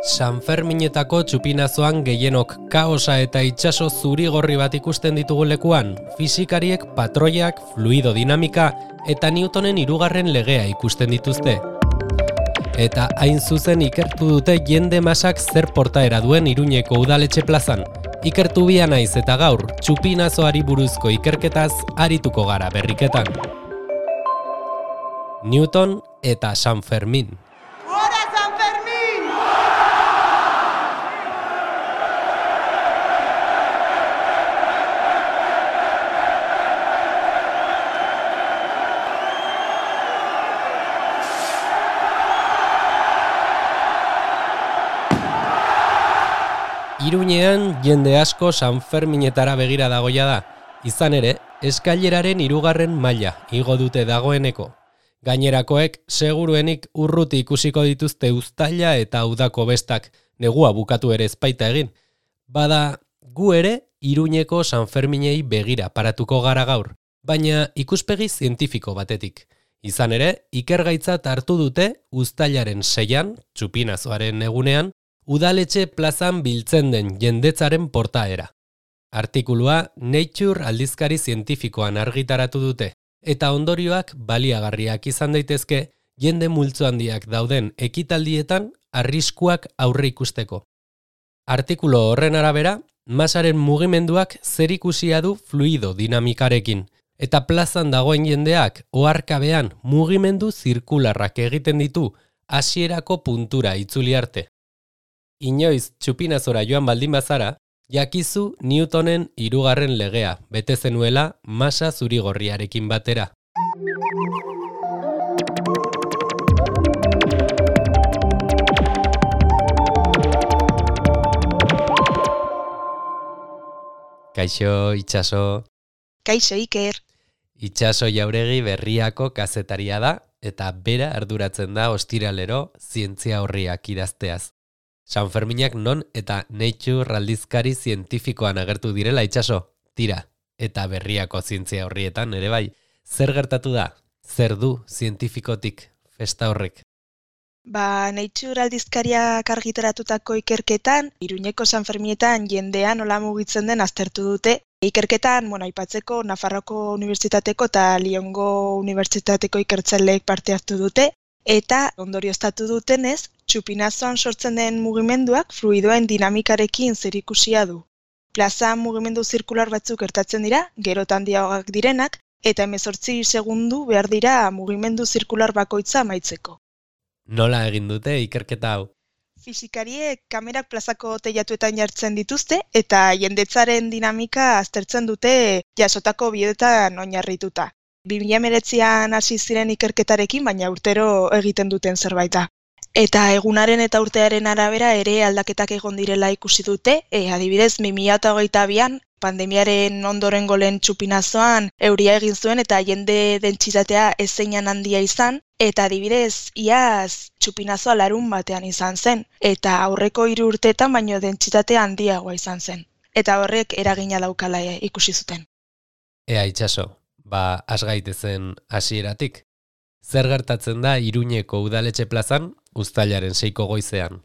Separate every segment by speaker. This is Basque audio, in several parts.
Speaker 1: Sanferminetako txupinazoan gehienok kaosa eta itsaso zuri-gorri bat ikusten ditugu lekuan, fisikariek patroiak, fluido dinamika eta Newtonen hirugarren legea ikusten dituzte. Eta hain zuzen ikertu dute jende masak zer portaera duen Iruñeko udaletxe plazan. Ikertu bia naiz eta gaur, txupinazoari buruzko ikerketaz arituko gara berriketan. Newton eta San Fermin. Iruñean jende asko San Ferminetara begira dagoia da. Izan ere, eskaileraren hirugarren maila igo dute dagoeneko. Gainerakoek seguruenik urruti ikusiko dituzte uztaila eta udako bestak, negua bukatu ere ezpaita egin. Bada, gu ere Iruñeko San Ferminei begira paratuko gara gaur, baina ikuspegi zientifiko batetik. Izan ere, ikergaitzat hartu dute uztailaren 6an, txupinazoaren egunean, udaletxe plazan biltzen den jendetzaren portaera. Artikulua Nature aldizkari zientifikoan argitaratu dute, eta ondorioak baliagarriak izan daitezke jende multzo handiak dauden ekitaldietan arriskuak aurre ikusteko. Artikulu horren arabera, masaren mugimenduak zerikusia du fluido dinamikarekin, eta plazan dagoen jendeak oharkabean mugimendu zirkularrak egiten ditu hasierako puntura itzuli arte. Inoiz txupinazora joan baldin bazara, jakizu Newtonen hirugarren legea, bete zenuela masa zuri-gorriarekin batera. Kaixo, Itxaso.
Speaker 2: Kaixo, Iker.
Speaker 1: Itxaso Jauregi Berriako kazetaria da, eta bera arduratzen da ostiralero zientzia horriak idazteaz. San Ferminak non eta Nature aldizkari zientifikoan agertu direla, Itxaso, tira, eta Berriako zientzia horrietan ere bai. Zer gertatu da? Zer du zientifikotik festa horrek?
Speaker 2: Nature aldizkariak argitaratutako ikerketan, Iruñeko San Ferminetan jendean nola mugitzen den aztertu dute. Ikerketan, aipatzeko Nafarroako Unibertsitateko eta Lyongo Unibertsitateko ikertzaileek parte hartu dute, eta ondorioztatu dutenez, txupinazoan sortzen den mugimenduak fluidoen dinamikarekin zerikusia du. Plazan mugimendu zirkular batzuk gertatzen dira, gero eta handiagoak direnak, eta 18 segundu behar dira mugimendu zirkular bakoitza amaitzeko.
Speaker 1: Nola egin dute ikerketa hau?
Speaker 2: Fisikariek kamerak plazako teilatuetan jartzen dituzte, eta jendetzaren dinamika aztertzen dute jasotako bideoetan oinarrituta. 2019an hasi ziren ikerketarekin, baina urtero egiten duten zerbaita. Eta egunaren eta urtearen arabera ere aldaketak egon direla ikusi dute, adibidez 2022an pandemiaren ondorengo lehen txupinazoan euria egin zuen eta jende dentsitatea ezeinan handia izan, eta adibidez iaz txupinazoa larun batean izan zen, eta aurreko 3 urteetan baino dentsitatea handiagoa izan zen. Eta horrek eragina daukala ikusi zuten.
Speaker 1: Ea, Itxaso, has gaitezen hasieratik. Zer gertatzen da Iruñeko udaletxe plazan uztailaren 6ko goizean?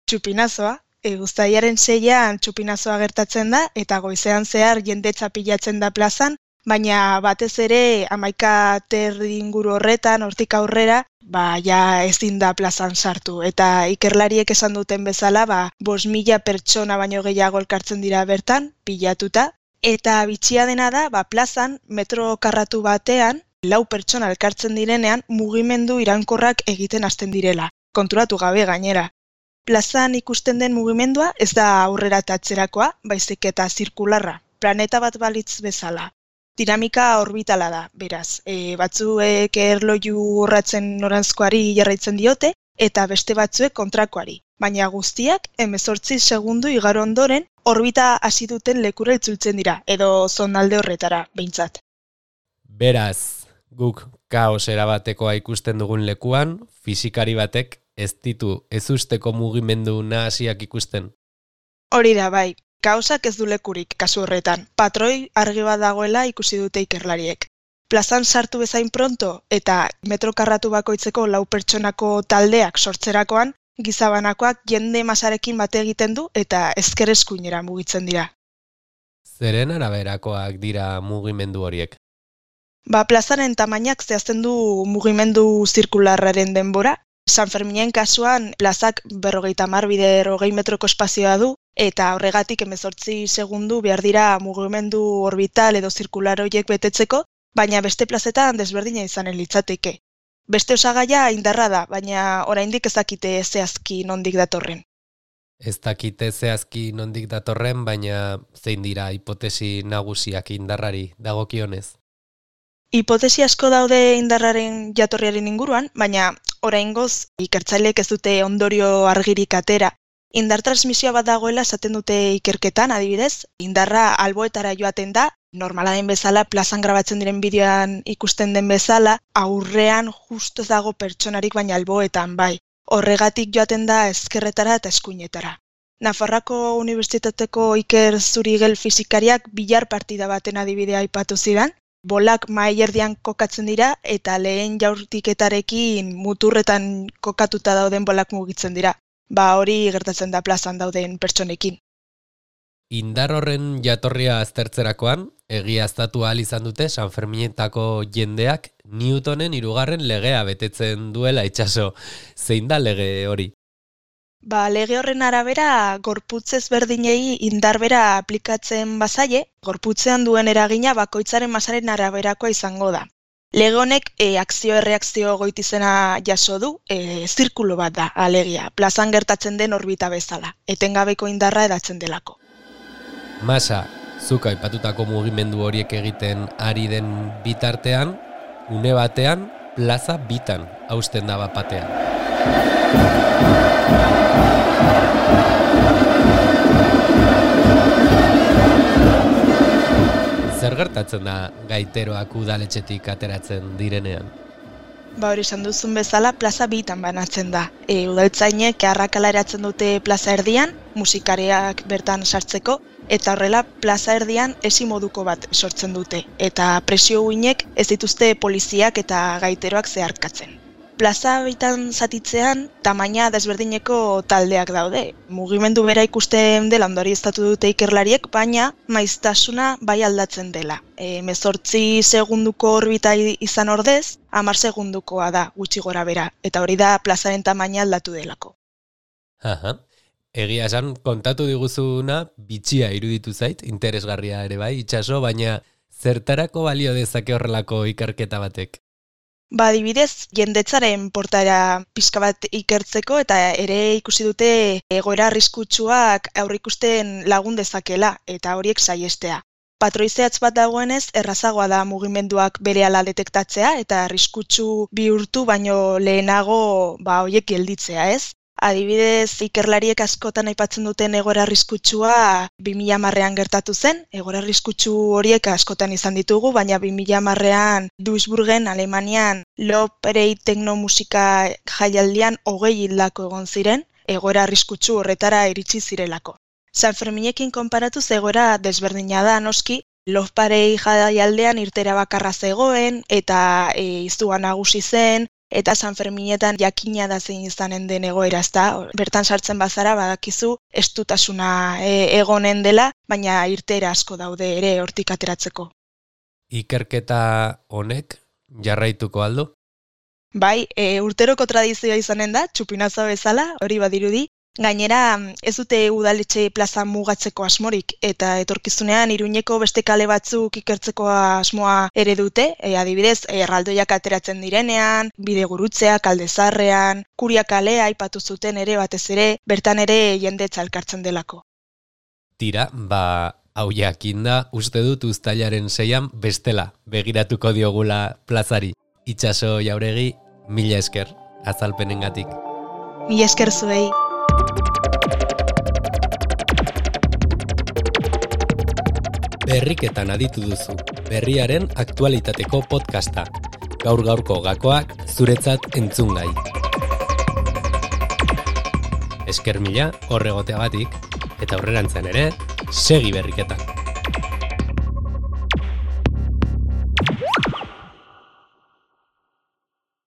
Speaker 2: Txupinazoa. Uztailaren 6an txupinazoa gertatzen da eta goizean zehar jendetza pilatzen da plazan, baina batez ere 11:30 inguru horretan, hortik aurrera, ja ezin da plazan sartu. Eta ikerlariek esan duten bezala, 5.000 pertsona baino gehiago elkartzen dira bertan, pilatuta. Eta bitxia dena da, plazan metro karratu batean, 4 pertsona elkartzen direnean mugimendu iraunkorrak egiten hasten direla, konturatu gabe gainera. Plazan ikusten den mugimendua ez da aurrera eta atzerakoa, baizik eta zirkularra, planeta bat balitz bezala. Dinamika orbitala da, beraz. Batzuek erloju urratzen noranzkoari jarraitzen diote, eta beste batzuek kontrakoari. Baina guztiak 18 segundu igaro ondoren orbita hasi duten lekura itzultzen dira, edo zonalde horretara, behintzat.
Speaker 1: Beraz, guk kaos erabatekoa ikusten dugun lekuan, fisikari batek ez ditu ezusteko mugimendu nahasiak ikusten.
Speaker 2: Hori da, bai. Kaosak ez du lekurik kasu horretan. Patroi argi bat dagoela ikusi dute ikerlariek. plazan sartu bezain pronto eta metro karratu bakoitzeko 4 pertsonako taldeak sortzerakoan, gizabanakoak jende masarekin bate egiten du eta ezker eskuinera mugitzen dira.
Speaker 1: Zeren araberakoak dira mugimendu horiek?
Speaker 2: Plazaren tamainak zehazten du mugimendu zirkularraren denbora. San Ferminen kasuan plazak 50 bider 20 metroko espazioa du, eta horregatik 18 segundu behar dira mugimendu orbital edo zirkular horiek betetzeko, baina beste plazetan desberdina izanen litzateke. Beste osagaia indarra da, baina oraindik ez dakite zehazki nondik datorren.
Speaker 1: Ez dakite zehazki nondik datorren, baina zein dira hipotesi nagusiak indarrari dagokionez?
Speaker 2: Hipotesi asko daude indarraren jatorriaren inguruan, baina oraingoz ikertzaileek ez dute ondorio argirik atera. Indar transmisioa bat dagoela esaten dute ikerketan, adibidez, indarra alboetara joaten da, normala den bezala, plazan grabatzen diren bideoan ikusten den bezala, aurrean justo ez dago pertsonarik baina alboetan, bai. Horregatik joaten da ezkerretara eta eskuinetara. Nafarroako Unibertsitateko Iker Zurigel fisikariak bilar partida baten adibidea aipatu zidan, bolak mahai erdian kokatzen dira eta lehen jaurtiketarekin muturretan kokatuta dauden bolak mugitzen dira. Hori gertatzen da plazan dauden pertsonekin.
Speaker 1: Indar horren jatorria aztertzerakoan, egiaztatu ahal izan dute San Ferminetako jendeak Newtonen 3. legea betetzen duela itsaso. Zein da lege hori?
Speaker 2: Lege horren arabera, gorputz ezberdinei indar bera aplikatzen bazaie, gorputzean duen eragina bakoitzaren masaren araberakoa izango da. Lege honek akzio-erreakzio goitizena jaso du, zirkulo bat da, alegia, plazan gertatzen den orbita bezala, etengabeko indarra edatzen delako.
Speaker 1: Masa, zuk aipatutako mugimendu horiek egiten ari den bitartean, une batean, plaza bitan hausten da bat-batean. Zer gertatzen da gaiteroak udaletxetik ateratzen direnean?
Speaker 2: Hori esan duzun bezala, plaza bitan banatzen da. Udaltzainek arrakala eratzen dute plaza erdian, musikariak bertan sartzeko, eta horrela plaza erdian esi moduko bat sortzen dute, eta presio uinek ez dituzte poliziak eta gaiteroak zeharkatzen. Plaza bitan zatitzean, tamaina desberdineko taldeak daude. Mugimendu bera ikusten dela ondorioztatu dute ikerlariek, baina maiztasuna bai aldatzen dela. 18 segunduko orbita izan ordez, 10 segundukoa da gutxi gora bera, eta hori da plazaren tamaina aldatu delako.
Speaker 1: Egia esan, kontatu diguzuna bitxia iruditu zait, interesgarria ere bai, itsaso, baina zertarako balio dezake horrelako ikerketa batek?
Speaker 2: Adibidez, jendetzaren portaera pixka bat ikertzeko eta ere ikusi dute egoera arriskutsuak aurreikusten lagun dezakela eta horiek saihestea. Patroi zehatz bat dagoenez, errazagoa da mugimenduak berehala detektatzea eta arriskutsu bihurtu baino lehenago horiek gelditzea, ez? Adibidez, ikerlariek askotan aipatzen duten egoera arriskutsua 2010ean gertatu zen. Egoera arriskutsu horiek askotan izan ditugu, baina 2010ean Duisburgen, Alemanian, Loperei teknomusika jaialdian 20 hildako egon ziren, egoera arriskutsu horretara iritsi zirelako. San Ferminekin konparatuz egoera desberdina da noski, Loperei jaialdean irtera bakarra zegoen eta izua nagusi zen, eta San Ferminetan jakina da zein izanen den egoera, ezta? Bertan sartzen bazara badakizu estutasuna egonen dela, baina irtera asko daude ere hortik ateratzeko.
Speaker 1: Ikerketa honek jarraituko aldu?
Speaker 2: Bai, urteroko tradizioa izanen da, txupinazoa bezala, hori badirudi. Gainera, ez dute udaletxe plaza mugatzeko asmorik, eta etorkizunean Iruñeko beste kale batzuk ikertzeko asmoa ere dute, adibidez, erraldoiak ateratzen direnean, bidegurutzeak, Kaldezarrean, Kuria kalea aipatu zuten ere batez ere, bertan ere jendetza elkartzen delako.
Speaker 1: Tira, hau jakinda, uste dut uztailaren 6an bestela begiratuko diogula plazari. Itsaso Jauregi, mila esker, azalpenengatik.
Speaker 2: Mila esker zuei.
Speaker 1: Berriketan aditu duzu, berriaren aktualitateko podcasta. Gaur-gaurko gakoak zuretzat entzungai. Esker mila horregoteagatik, eta aurrerantzean ere, segi berriketan.